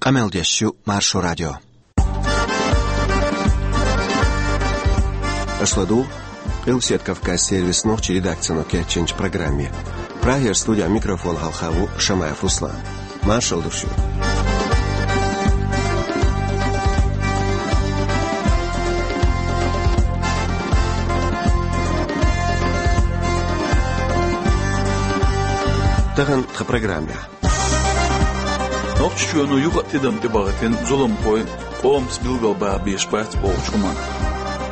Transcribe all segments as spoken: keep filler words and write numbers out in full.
Къамел деш ю Маршо радио. Аша ладугӀу Къилбаседа Кавказан сервисан нохчийн редакцино кечйинчу программе. Прагера студин микрофон хьалха ву Шамаев Руслан. Маршалла ду шуьга. Тахана тхан программехь. Нохчийчоьно юха а тидам тӀебахийтина зуламхой къомаца билгалбаха безаш бац бохучу хӀуманна.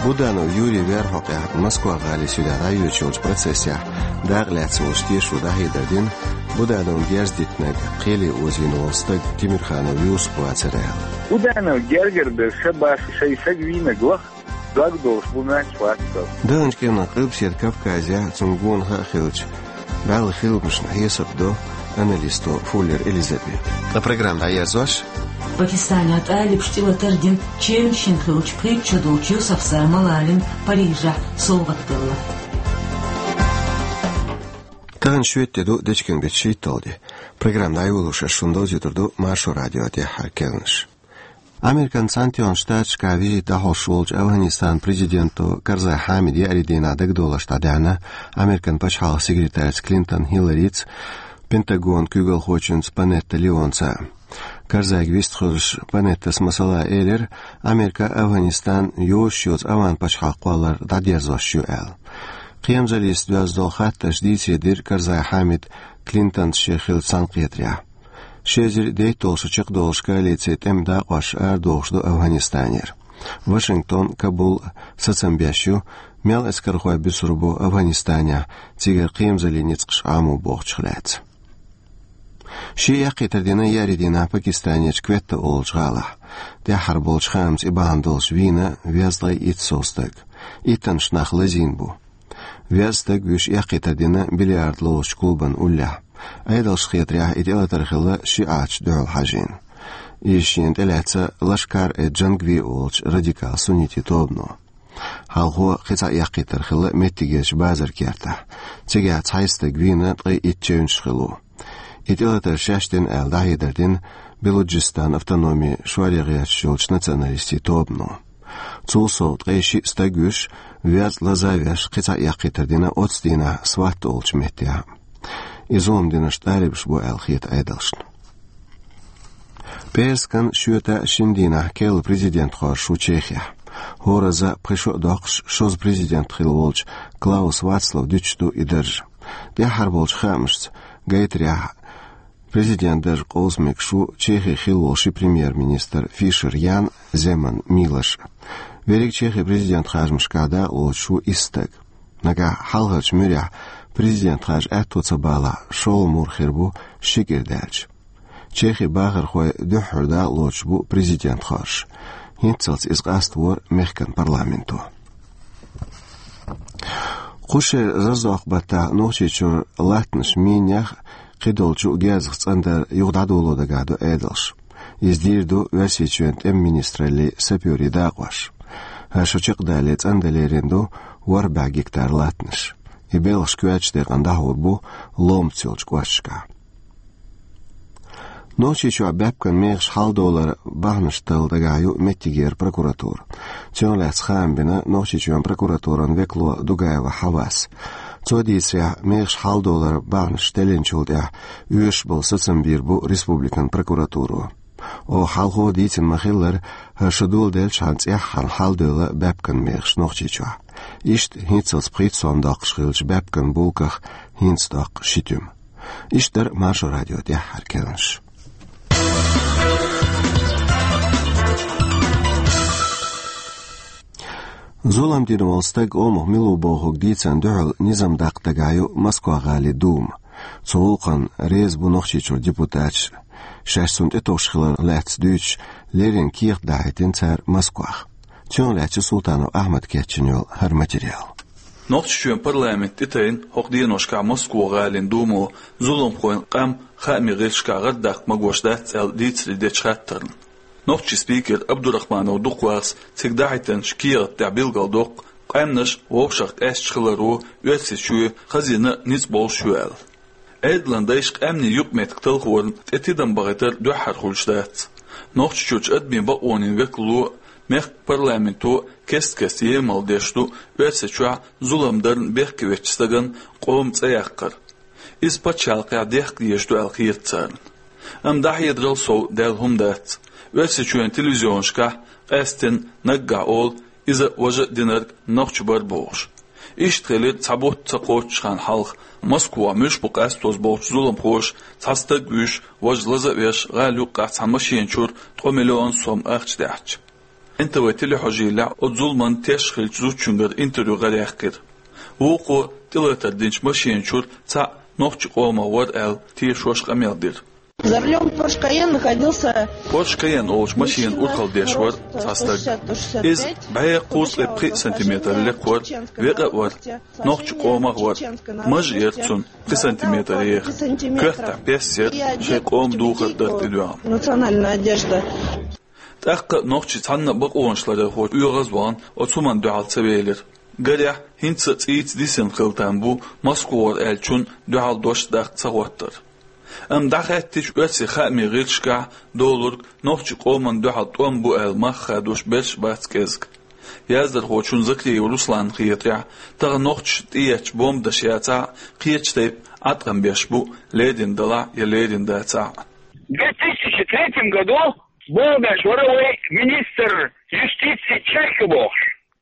Буданов Юрий вер хьокъехь Москва-гӀалин суьдехь дӀайоьдуш йолчу процессехь дакъа лаьцна волчу тешо дӀахьедар дина, Будановна герз дитинарг кхеле озийна волу стаг Тимирханов Юсуп вацара аьлла. Буданов гергара берш баш шайн саг вийнарг лаха, дог долуш бу моьттуш вац со. Даханчу кӀирнах Къилбаседа Кавказехь цунна гонах а хилча, бӀаьлла хиламашна хьесап до аналисто Фуллер Элизабета. Ткъа программа дӀаерзош. Пакистанехь тӀалибаша тӀелатар дина чевнаш йина хиллачу пхийтта шо долчу Юсуфзар Малалина Парижехь совгӀат делла. Тахана шоьтан де ду, дечкен-беттан шийтталгӀа де. Программа дӀайолош ас шуна довзуьйтур ду Маршо радион тӀаьххьара керланаш. Американ Цхьаьнатоьхначу Штаташкахь визит дӀахьош волчу Афганистанан президенто Карзай Хьамида еарин дийнахь дагадовларш дӀадаьхьна Американ пачхьалкхан секретарца Клинтон Хилларица, Пентагонан куьйгалхочуьнца Панетта Леонца. Карзайга вистхуьлуш Панеттас масала элира, Америка Афганистан йозуш йоцу ОвхӀан пачхьалкх кхоллар дӀадерзош ю аьлла. Кхерамзаллица доьзна долу хаттарш дийцаре дира Карзай Хьамида Клинтонца шен хиллачу цхьаьнакхетарехь. Ши эзар дейтталгӀачу шарахь чекхдолуш коалицин тӀеман дакъош арадохуш ду Афганистанера. Вашингтон, Кабул сацам беш ю, мел эскархой буьсур бу Афганистанехь, цигара кхерамзаллин ницкъаш Ӏамо бохучух лаьцна. Шен яккхийтар дина еарин дийнахь Пакистанерчу Кветта олучу гӀалахь. ТӀаьххьара болчу хаамца и бахьана долуш вийна везткъе итт сов стаг. Иттаннаш нах лазийна бу. Веза стаг вуьйш яккхийтар дина бильярд ловзучу клубан уллехь. Ӏедалшна хетарехь, и тӀелатар хилла шиӀаташна дуьхьал хьажийна. Иза шена тӀелаьцна Лашкар-э-Джангви олучу радикал суннитийн тобано. Хьалхо кхин цхьа яккхийтар хилла меттигерчу базар-кертахь. Цигахь цхьайтта стаг вийна, ткъе итт чевнаш хилла ву. И тӀелатар шаьш дина аьлла дӀахьедар дина Белуджистанан автономин шоръян гӀерташ йолчу националистийн тобано. Цул сов ткъе шиъ стаг вуьйш, веза лаза а веш, кхин цхьа яккхийтар дина оццу дийнахь Сватта олучу меттехь. И зулам динарш тӀалибаш бу аьлла хета Ӏедалшна. ПӀераскан шоьтан шина дийнахь керла президент хоржуш ву Чехехь. ХӀоразза пхи шо а доккхуш, шозза президент хилла волчу Клаус Вацлава дуьтуш ду и дарж. ТӀаьххьара болчу хаамашца гайтарехь, президент дарж къовса мегаш ву Чехин хилла волу ши премьер-министр Фишер Ян, Земан Милош. Верриг Чехин президент харжамашкахь дакъалоцуш ву исс стаг. Нагахь хьалхарчу муьрехь президент харж аьтто ца балахь, шолгӀа мур хир бу ши кӀира даьлча. Чехин бахархой дуьххьара дакъалоцуш бу президент хоржуш. ХӀинццалц иза къаставора мехкан парламенто. Кху шеран Раздокъ-баттахь Нохчийчуьра латтанаш минех а, кхидолчу герзах цӀандар а юха дӀадоло дагахь ду Ӏедалш. Иза дийр ду Оьрсийчоьнан тӀеман министраллин сапёрийн дакъош. ХӀара шо чекхдалале цӀандаларина ду ворхӀ бӀе гектар латтанаш. И белхаш коьртачу декъана дӀахьур бу ломаца йолчу кӀошташкахь. Нохчийчохь баьпкан мехаш хьалдовларан бахьанаш талла дагахь ю меттигера прокуратура. Цунах лаьцна хаам бина Нохчийчоьнан прокуратуран векало Дугаева Хьавас. Цо дийцарехь, мехаш хьалдовларан бахьанаш теллинчул тӀаьхьа оьшуш болу сацам бийр бу республикан прокуратуро. Оха хьалхо дийцина ма-хиллара, хӀара шо доладелчхьана цӀеххьана хьалдевлла баьпкан мехаш Нохчийчохь. Иштта хӀинццалц пхийтта сом доккхуш хиллачу баьпкан булках хӀинца доккху ши туьма. Иштта дара Маршо радион тӀаьххьара керланаш. Зулам дина волу стаг омах мила ву бохург дийцарна дуьхьал низам даккха дагахь ю Москва-гӀалин Дума. Цу гӀуллакхана реза бу Нохчийчуьра депутаташ. Шаьш цунна тӀетовш хилар лаьцна дуьйцуш, леррина кехат дахьийтина цара Москвах. Цунах лаьцна Султанов Ахьмада кечйина йолу хӀара материал. Нохчийчоьнан парламент тӀетайна хӀокху деношкахь Москва-гӀалин Думо зуламхойн къам хаамийн гӀирсашкахь гӀардаккха магош дац аьлла дийцаре дечу хаттарна. Нохчийн спикер Абдурахманов Дукхвахас цига дахьийтинчу кехат тӀехь билгалдоккху, къаьмнаш вовшах къаьсташ хиларо Оьрсийчоь хазийна а ницкъ болуш ю аьлла. Ӏедалан дайша къаьмнийн юкъаметтиг талхорна тӀе тидам бахийтар дуьххьара хуьлуш дац. Нохчийчоьнан адамийн бакъонийн векало, мехкан парламенто кест-кеста емал деш ду Оьрсийчохь зулам дарна бехке веттачу стагана къоман цӀе яккхар. Иза пачхьалкхехь дехка дезаш ду аьлла хета царна. Амма дӀахьедарал сов даьлла хӀума дац. Оьрсийчоьнан телевизионашкахь къаьсттина наггахь олу иза важа а динарг нохчийн бара бохуш. Иштта хилира цхьа бутт ца кхоччучу хенна хьалха. Москвахь муьлш бу къастоза бохучу зуламхоша цхьа стаг вуьйш, важа лаза а веш, гӀала юккъехь цхьана машена чуьра ткъа миллион сом ахча даьхьча. Н Т В телехьожийлехь оцу зуламан теш хиллачу зудчуьнгара интервью гӀараяьккхира. Вукхо тӀелатар динчу машена чуьра цхьаъ нохчийн къомах вара аьлла тешош къамел дира. За рулём Porsche Cayenne находился... Porsche Cayenne олучу машенан урхалла деш вара цхьа стаг. Иза бӀе кхузткъе пхи сантиметр лекха вара, векъа а вара, нохчийн къомах вара. Маж а яра цуьнан пхи сантиметр еха. Коьртахь пес яра, шайн къоман духар дара тӀедоьгӀна. Национальная одежда. ТӀаккха нохчий цхьанна а бакъонаш ларъярхочун оьгӀаз а вахана оцу хӀуманна дуьхьал ца велира. Гарехь, хӀинца а цӀийца дисина хила там бу Москвара аьллачунна дуьхьал дош даккха ца хӀоттар. Амма дӀахаьттича, оьрсийн хаамийн гӀирсашкахь долург нохчийн къоманна дуьхьал тӀом бу аьлла мах хадош берш бац кӀезиг. Яздархочун Закриев Русланна хетарехь, тахана нохчашна тӀеетташ бомбанаш яцахь а, кхечу тайпа Ӏаткъам беш бу, лерина далахь а я лерина дацахь а. В две тысячи третьем году бомбанаш вара вай министр юстиции Чайка бохуш.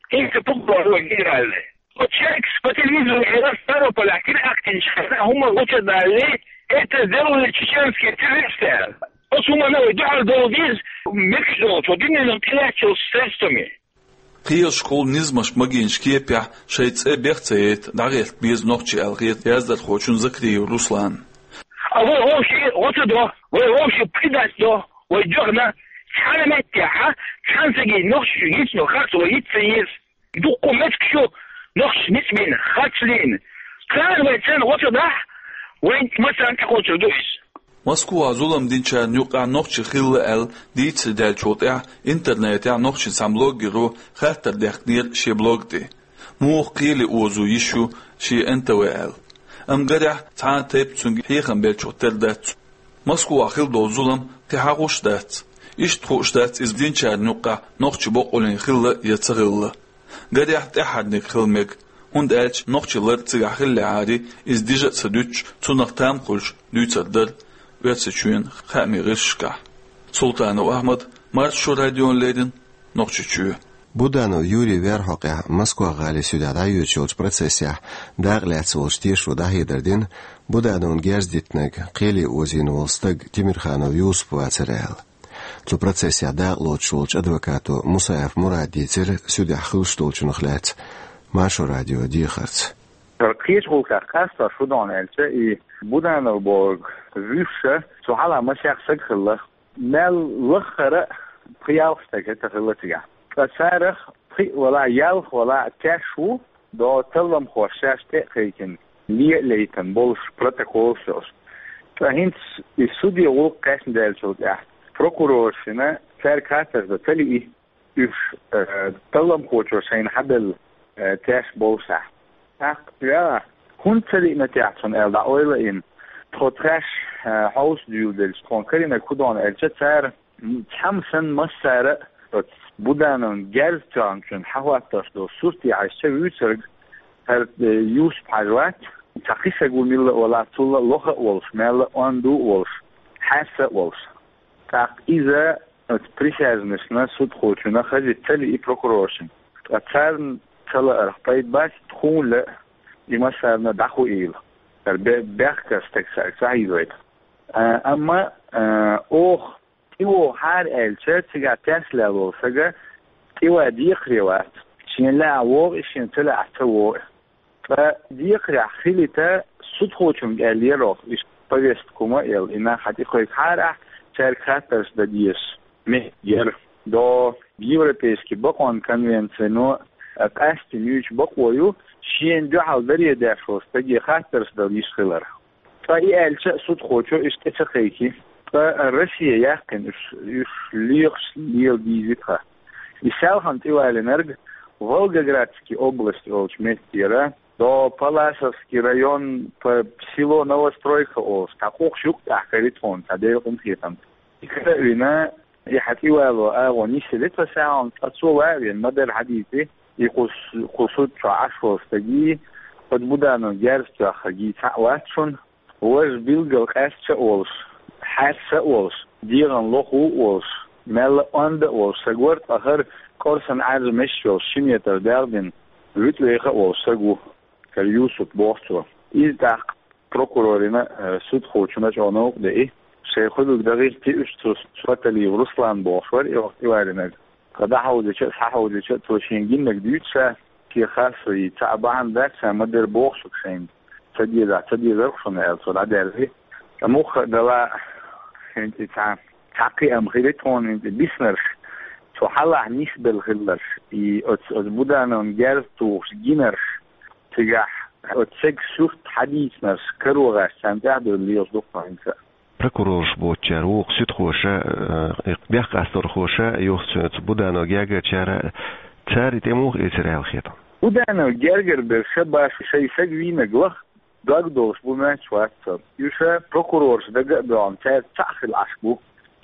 ХӀинца прокурор ву генеральный. Оцу Чайкас по телевизору элира Ставрополехь теракт йинчу хенахь хӀума гучу а далале, это сделали чеченские террористы аьлла. Оцу хӀуманна вай дуьхьал довла деза, мегаш долчу, дуьненан тӀелаьцначу средствами. Кхелашкахула низамаш магийначу кепехь шайн цӀе бех ца яйта дӀагӀерта беза нохчий аьлла хета яздархочун Закриев Русланна. А вай вовшийн гӀо ца до, вай вовшийн предать до, вай дуьхьал цхьана меттехь, цхьана стаге нохчашна йицло харц вай йиц ца еза. Дуккха меттигаш ю нохчашна ницкъ бина, харц лийна. Царна вай царна гӀо ца дахь, вайн массарна тӀекхочур ду иза. Москвахь зулам динчарна юккъехь нохчий хилла аьлла дийцаре даьллачул тӀаьхьа интернетехь нохчийн цхьана блогеро хаттар даьккхинера шен блог тӀе, муха кхеле озо йиш ю шен Н Т В аьлла. Амма гарехь, цхьана а тайпа цуьнга хьехам беллачух тера дац. Москвахь хилла долу зулам кхин хьахуш а дац. Иштта хууш дац иза динчарна юккъехь нохчийн бакъонийн хилла я ца хилла. Гарехь, тӀаьххьарниг хила мега, хӀунда аьлча нохчийн лар цигахь хиллехьара, иза дижа а ца дуьтуш, цунах там хуьлуш дуьйцур дара Оьрсийчоьнан хаамийн гӀирсашкахь. Султанов Ахьмад, Маршо радиона леррина, Нохчийчоь. Буданов Юрий вер хьокъехь Москва-гӀалин суьдехь дӀайоьдуш йолчу процессехь дакъа лаьцна волчу тешо дӀахьедар дина, Будановна герз дитинарг кхеле озийна волу стаг Тимирханов Юсуп вацара аьлла. Цу процессехь дакъа лоцуш волчу адвокато Мусаев Мурада дийцира суьдехь хуьлуш долчунах лаьцна Маршо радион дехарца. Кхечу гӀуллакхех къастош ду хьуна аьлча, и Буданов бохург вуьйш, цу хьалха масех стаг хилла. Мел лаххара а пхи-ялх стаг хӀетахь хилла цигахь. Ткъа царах пхиъ валахь, ялх валахь теш ву, до талламхоша шаьш тӀе а кхайкхина, ле а лейтина болуш протоколаш йолуш. Ткъа хӀинца и суде гӀуллакх кхаьчна даьллачул тӀаьхьа прокуроршна цаьрга хаттарш дан ца лиъна, уьш, э, талламхочо шайна хьабелла, э, теш боллушехь. ТӀаккха, я, хӀунда ца лиъна техьа цунна аьлла дӀаойла а йина, тхо тхаьш, э, хьовса дуьйладелча, тхуна карийнарг хӀун ду хьуна аьлча, цара, м, цхьамма санна массара а оцу Будановн герз тоьхначун хьахӀоттош долу сурте хьаьжча вуьйцург хӀара, э, Юсуп-Хьаьжа вац, цхьа кхин стаг ву милла а валахь, цул а лоха а волуш, мелла а онда а волуш, хьаьсса а волуш. ТӀаккха иза оцу присяжнашна, судхочунна хазита ца лиъна прокуроршна. Ткъа царна ца лаарх пайда бац, тхуна лаьа и массарна дӀахоуьйтийла. ХӀара бе-, бехкара стаг цаьрга ца хьийзавайта. А, амма, а, оха тӀевогӀу хьара аьлча, цигахь теш лелла волу стага тӀеван декхаре вац. Шена лаахь вогӀу и, шена ца лаахь ца вогӀу и. Ткъа декхарехь хилийта судхочуьнга аьллера оха, иштта повестка хӀума а елла, и нах хьан тӀекхойкху хьара ахь, цаьрга хаттарш дан дезаш меттиг яра. До Европейский бакъонан конвенцино, а, къаьсттина юьйцу бакъо ю, шена дуьхьал даре деш волу стаге хаттарш дала йиш хилар. Ткъа и аьлча а судхочо иштта тӀе ца кхайкхи. Ткъа Россия яьккхина уьш, уьш лоьхуш лела дийзи тхан. И селхана тӀевалийнарг Волгоградский область олучу меттера, до Палласовский район, п-, село Новостройка олуш, цхьа къухаш юккъехь карий тхуна, цхьа Делан къинхетамца. И кара а вина, И хьатӀавало агӀо нисъелла тха сагӀон, ткъа цо ваьвен ма-дарра хьадийци, и кхус, кху суд чу Ӏаш волу стаги, оцу Будановн герз тоьхнаргий цхьаъ вац шуна. Важа билггал къаьсташ а волуш, хьаьрса а волуш, дегӀан лоху а волуш, мелла а онда а волуш, са гор тӀахара кӀорсан Ӏаьржа меш йолуш, ши метр дегӀ дина, вуьтӀа веха а волуш саг ву, хӀара Юсуп боху цо. Иза тӀаккха прокурорина, э, судхочунна чӀогӀа новкъа деи, шайн хуьлург дагӀийти уьш цу Фаталиев Руслан бохуш вара и вахт тӀеваринарг. Ткъа дӀахьовзича а, схьахьовзича а, цо шена гиннарг дуьйцу ша, шен харцо йийца цхьа а бахьана дац ша, ма-дарра боху шуьга шайна. Ца дезахь, ца дезарх шуна аьлла, цо дӀадаьлла. Ткъа мухха а дала, хӀинца цхьа, цхьа кхиам хили тхуна хӀинца биснарш, цо хьалахь нисбелла хилларш, и оцу, оцу Будановн герз тухуш гинарш, цигахь оцу цега сурт хьадийцинарш, каро гӀаш царна тӀаьхьадевлла лелаш ду-кх хӀинца. Прокурораш боцучара вукху суьдхоша, э, и бехк къасторхоша, юха цу, цу Будановн гергарчара, цара и тӀе муха эцира аьлла хета? Будановн гергара берш баш шайн саг вийнарг лаха дог долуш бу моьттуш вац сан. Уьш прокурораш дага а боьгӀна, цаьрца цхьаъ хила Ӏаш бу.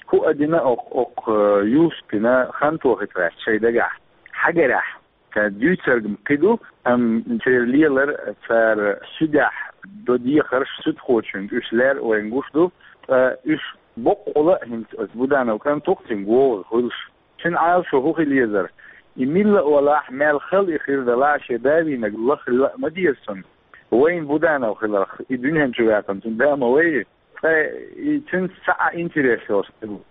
ХӀуъа дина окху, окху, э, Юсупина хантохи тӀехь шайн дагахь, хьагарехь. Цара дуьйцург-м кхин ду, амма церан лелар, цара суьдехь до дехарш суьдхочуьнга уьш лер а вайна гуш ду, ткъа уьш боккъала а хӀинца оцу Буданов кӀант ву-кх цуьнга вогӀу хуьлуш. Цуьнан Ӏалашо хӀун хила езара? И милла а валахь, мел хала и хир далахь, шен да вийнарг лаха хила а ма деза цунна. Вайна Буданов хиларх, и дуьнен чу ваьккхина цуьнан да ма вай. Ткъа и цуьнца цхьа а интерес йолуш стаг ву.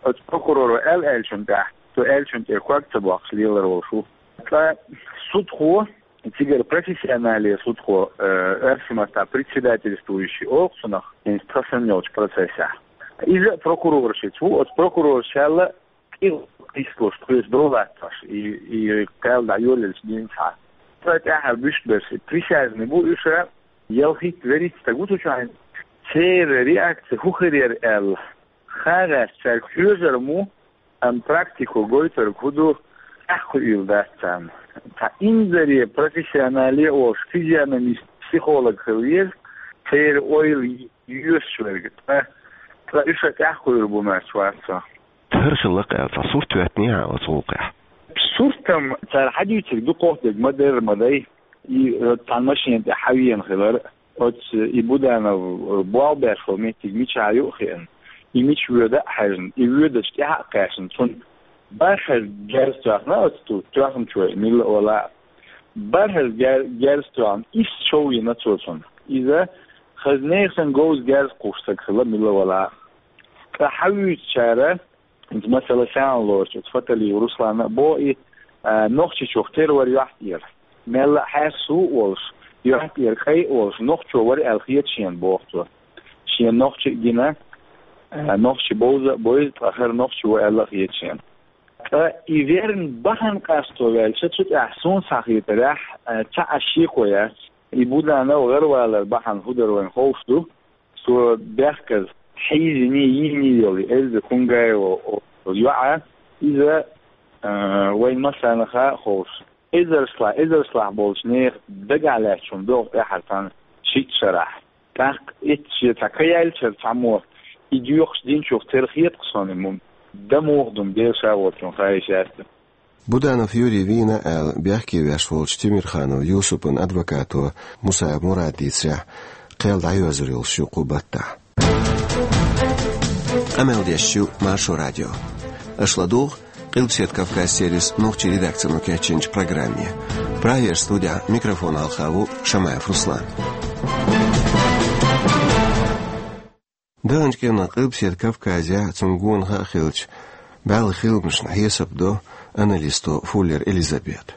Оцу прокуроро аьлла аьллачунна тӀехь, цо аьллачунна тӀера ког ца боккхуш лелар волуш ву. Ткъа судхо, цигара профессионале судхо, э, оьрсийн маттахь председательствующий олу-кх цунах, хӀинца тхан санна йолчу процессехь. Иза а прокуроршца ву, оцу прокуроршалла кӀира кхийсалуш, тхоьца дов латтош, и, и кхел дӀайолаелчу дийнахь. Ткъа тӀаьхьара буьйш берш, и присяжный бу уьш, ялхитта-вуьрхӀитта стаг ву цу чохь. Церан реакция хӀун хир яра аьлла, хан гӀерташ цаьрга хьоьжур ма ву, амма практико гойтург хӀун ду, тӀаьхьакхуьийла дац царна. Цхьа инзаре профессионале а волуш, физиономист, психолог хила веза, церан ойла йоьшуш верг. Ткъа, ткъа уьш а тӀаьхьакхуьур бу моьттуш вац со. ХӀара хилла-кх аьлла, цхьа сурт хӀоьттинехьа оцу гӀуллакхехь? Сурт-м цара хьадуьйцург дукха дерг ма-дарра ма дай. И, э, цхьана машена тӀе хьавеана хилар, оцу и Буданов, э, болх беш волу меттиг мичахь ю а хиъна, и мича воьду а хьаьжна, и воьдучу тӀаьхьа а кхаьчна, цунна бархӀазза герз тоьхна оцу тоьхначо, и милла а вала а. БархӀазза гер-, герз тоьхна, исс шов йина цо цунна. Иза хаза нехан говза герз кхуссуш стаг хилла милла а вала а. Ткъа хьавуьйцучара, хӀинца масала схьа а лоруш, оцу Фаталиев Руслана а боху и, а, Нохчийчух тера вара юьхь тӀера. Мелла а хьаьрса а волуш, юьхь тӀера кӀай а волуш, нохчо вара аьлла хета шена, боху цо. Шена нохчи а гина, а, нохчи бовза а бовза, ткъа хӀара нохчи ву аьлла а хета шена. Ткъа и верна бахьана къасто ваьлча, цу тӀехь суна схьахетарехь, а, цхьа а шеко яц. И Буданов гӀаравалар бахьана хӀун дара вайна ховш ду. Цо бехказа хьийзиний, йийний йолу Эльза Кунгаева йоӀа, иза, а, вайн массарна а ховш, эзаршлахь, эзаршлахь болчу нехан дагахь лаьттачунна догӀу тӀаьхьара цхьана шийтта шарахь. ТӀаккха эцца шен цхьа ка яьллачара цхьаммо и доькъуш динчух тера хета-кх шуна, и дан муха ду-м, Дела Ша волчун хаийша яц. Буданов Юрий вийна аьлла, бехке веш волчу Тимирханов Юсупан адвокато Мусаев Мурада дийцарехь, кхел дӀайоьзур йолуш ю кху баттахь. Къамел деш ю Маршо радио. Аша ладугӀу Къилбаседа Кавказ сервисан нохчийн редакцино кечйинчу программе. Прагера студехь микрофон хьалха ву Шамаев Руслан. Даханчу кӀиранах Къилбаседа Кавказехь, цунна гонах а хилча, бӀаьлла хиламашна хьесап до аналисто Фуллер Элизабета.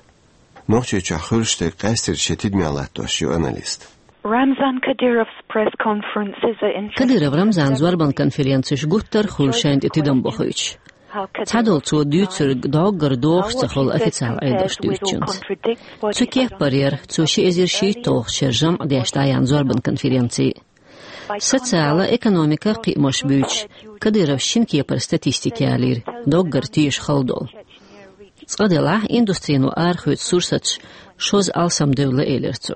Нохчийчохь хуьлуш дерг къаьстерчу шен тидамехь латтош ю аналист. Ramzan Kadyrov's press conferences are Кадыров Рамзан зорбан конференцеш гуттар а хуьлу шайна тӀе тидам бохуьйтуш. Цхьадолу цо дуьйцург доггара догӀуш ца хуьлу официалан Ӏедалша дуьйцучуьнца. Цу кеппара яра цо ши эзар шийтталгӀачу шеран жамӀ деш дӀаяьхьна зорбан конференци. Социала, экономика кхиамаш буьйцуш, Кадыровс шина кепара статистика ялийра, доггара теша хала долу. Цкъа делахь, индустрино арахоьцу сурсаташ шозза алсамдевлла, элира цо.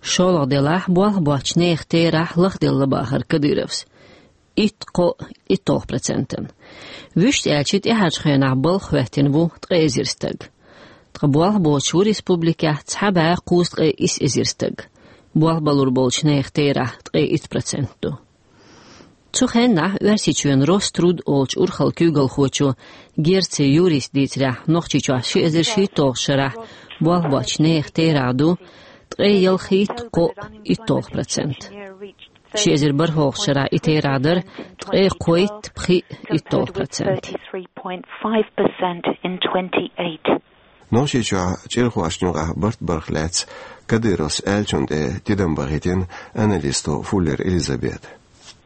ШолгӀа делахь, болх боцчу нехан терахь лахделла бахара Кадыровс. итт кхоъ иттолгӀа процентан. Вуьшта аьлча, тӀаьхьарчу хенахь балха хӀоьттина ву ткъе эзар стаг. Ткъа болх боцуш ву республикехь цхьа бӀе кхузткъе исс эзар стаг. Болх балур болчу нехан терахь ткъе итт процент ду. Цу хеннахь Оьрсийчоьнан Роструд олучу урхалла куьйгалхочо Герци Юрис дийцарехь, Нохчийчохь ши эзар шийтталгӀачу шарахь болх боцчу нехан терахь ду ткъе ялхитта кхоъ иттолгӀа процент. Ши эзар бархӀалгӀачу шарахь и терахь дара ткъе кхойтта пхиъ иттолгӀа процент. Нохчийчохь чӀирхошна юкъахь барт барх лаьцна Кадыровс аьллачунна тӀе тидам бахийтина аналисто Фуллер Элизабета.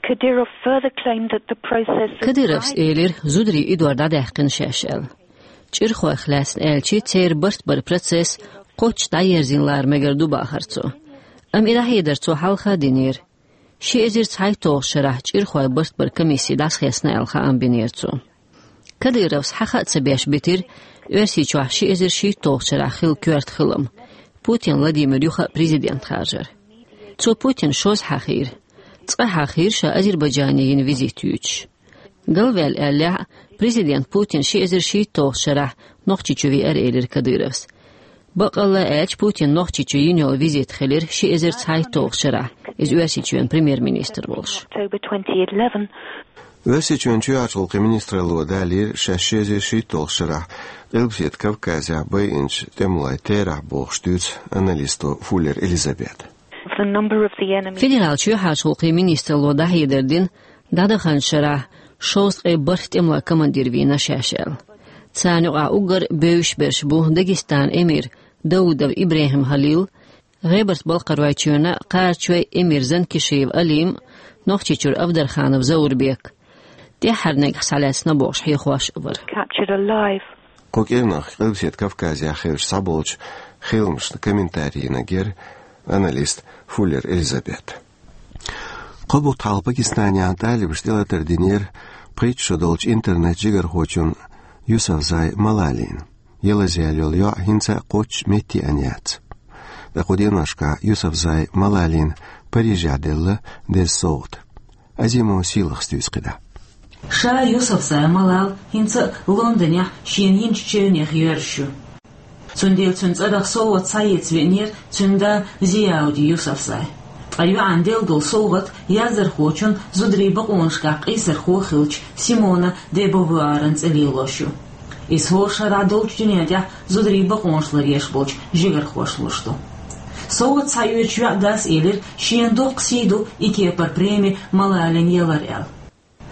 Kadyrov further claimed that the process of Кадыровс элира, зударийн идор дӀадаьккхина шаьш аьлла. ЧӀирхойх лаьцна аьлча, церан барт баран процесс кхоччуш дӀаерзийна лара мегар ду бахара цо. Амма и дӀахьедар цо хьалха а динера. Ши эзар цхьайтталгӀачу шарахь чӀирхойн барт баран комисси дӀасахьесна аьлла хаам бинера цо. Кадыровс хьаха а ца беш битира Оьрсийчохь ши эзар шийтталгӀачу шарахь хилла коьрта хилам, Путин Владимир юха а президент харжар. Цо Путин шозза хьахийра. Цкъа хьахийра ша Азербайджане йина визит юьйцуш. Галваьлла аьллехь а, президент Путин ши эзар шийтталгӀачу шарахь Нохчийчу веара, элира Кадыровс. Баккъалла а аьлча, Путин Нохчийчу йина йолу визит хилира ши эзар цхьайтталгӀачу шарахь, иза Оьрсийчоьнан премьер-министр волуш. October twenty eleven. Оьрсийчоьнан чоьхьарчу гӀуллакхийн министралло далийра шаьш ши эзар шийтталгӀачу шарахь Къилбаседа Кавказехь байинчу тӀемалойн терахь бохуш, дуьйцу аналисто Фуллер Элизабета. The number of the enemy. Федералан чоьхьарчу гӀуллакхийн министралло дӀахьедар дина, дӀадаханчу шарахь шовзткъе бархӀ тӀемалойн командир вийна шаьш аьлла. Царна юкъахь уггар бевзаш берш бу Дагестанан эмир Даудов ИбрахӀим Халил, ГӀебарта-Балкхаройчоьнан а, Кхарачойн а эмир Занкишиев Алим а, Нохчийчуьра Авдарханов Заурбек. ТӀаьххьара нагахь схьалаьцна бохуш хьехош а вара. Captured alive. Кху кӀирнах Къилбаседа Кавказехь хиллачу цхьаболчу хиламашна комментари йинарг яра аналист Фуллер Элизабета. Кхо бутт хьалха Пакистанехь тӀалибаша тӀелатар динера пхийтта шо долчу интернет-жигархочун Юсуфзай Малалин. Ялаза яьлла йолу йоӀ хӀинца а кхоччуш метте а яц. Ткъа кху деношкахь Юсуфзай Малалина Парижехь делла деза совгӀат. Азимова Сийлахьас дуьйцу кхидӀа. Ша Юсуфзай Малал хӀинца а Лондонехь шена йинчу чевнех йоьрзуш ю. Цундела цуьнан цӀарах совгӀат схьаэца веанера цуьнан да Зияуди Юсуфзай. Ткъа йоӀана делла долу совгӀат яздархочун, зударийн бакъонашкахь къийсархо а хиллачу Симона де Бовуаран цӀе лелош ю. Иза хӀора шарахь долчу дуьнен тӀехь зударийн бакъонаш ларъеш болчу жигархошна луш ду. СовгӀат схьаоьцучу йоӀан дас элира, шена доккха сий ду и кепара преми Малалина ялар аьлла.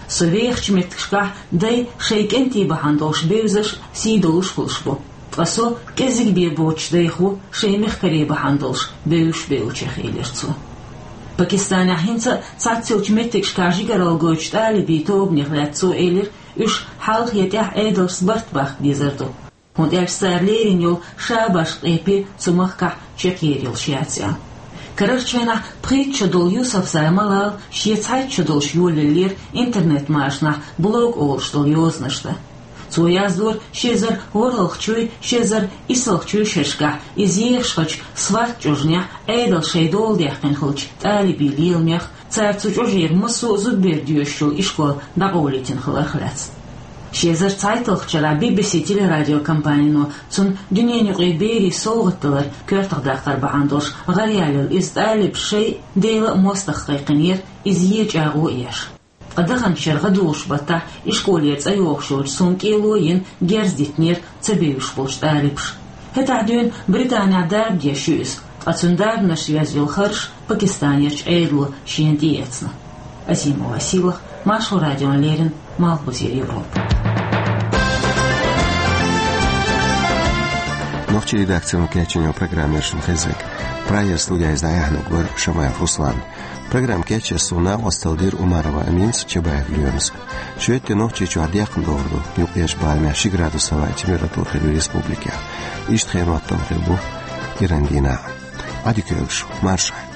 Со вехачу меттигашкахь дай шайн кӀентий бахьана долуш бевзаш, сий долуш хуьлуш бу. Ткъа со кӀеззиг бен боцуш дайх ву шайн мехкарий бахьана долуш бевзаш бевллачех, элира цо. Пакистанехь хӀинца а цхьацца йолчу меттигашкахь жигаралла гойтучу тӀалибийн тобанех лаьцна цо элира, уьш хьалха я тӀаьхьа Ӏедалшца барт баккха дезар ду. ХӀунда аьлча цара лерина йолу шабаш къепе цу махкахь чекхъер йолуш яц аьлла. Карарчу хенахь пхийтта шо долу Юсуфзай Малал шен цхьайтта шо долуш йолаеллера интернет-машанахь блог олуш долу йозанаш дан. Цо яздора ши эзар ворхӀалгӀачуй, ши эзар исалгӀачуй шерашкахь иза ехаш хиллачу СВАТ чӀожанехь Ӏедалша шайн дола даьккхина хиллачу тӀалибийн леламех, цара цу чӀожера массо а зудабер доьшуш йолу ишкол дӀакъовлийтина хиларх лаьцна. Ши эзар цхьайтталгӀачу шарахь Би-Би-Си телерадиокомпанино цунна дуьненан юкъахь берийн совгӀат далар коьртах даккхар бахьана долуш гӀараяьлла иза тӀалибаша шайн Делан а мостагӀа кхайкхинера, иза е чӀагӀо а еш. Ткъа даханчу шеран гӀадужу баттахь ишколера цӀа йогӀуш йолчу суна кӀело а йина, герз дитинера ца бевзаш болчу тӀалибаша. ХӀетахь дуьйна Британехь дарба деш ю иза, ткъа цуьнан дарбанаш йоьзна йолу харж Пакистанерчу Ӏедало шена тӀеэцна. Азимова Сийлахь, Маршо радиона леррина, Малхбузера Европа. Нохчийн редакцино кечйина программа яра шуна хезнарг. Прагера студехь иза дӀаяьхьнарг вара Шамаев Руслан. Программа кечъеш суна накъосталла дира Умарова Аминас, Чабаев Лоьмас. Шоьтан Нохчийчохь декхна догӀур ду, юккъерчу барамехь ши градус хӀаваан температура хир ю республикехь. Иштта хенан хӀоттам хир бу кӀиран дийнахь. Ӏадика йойла шун, маршалла.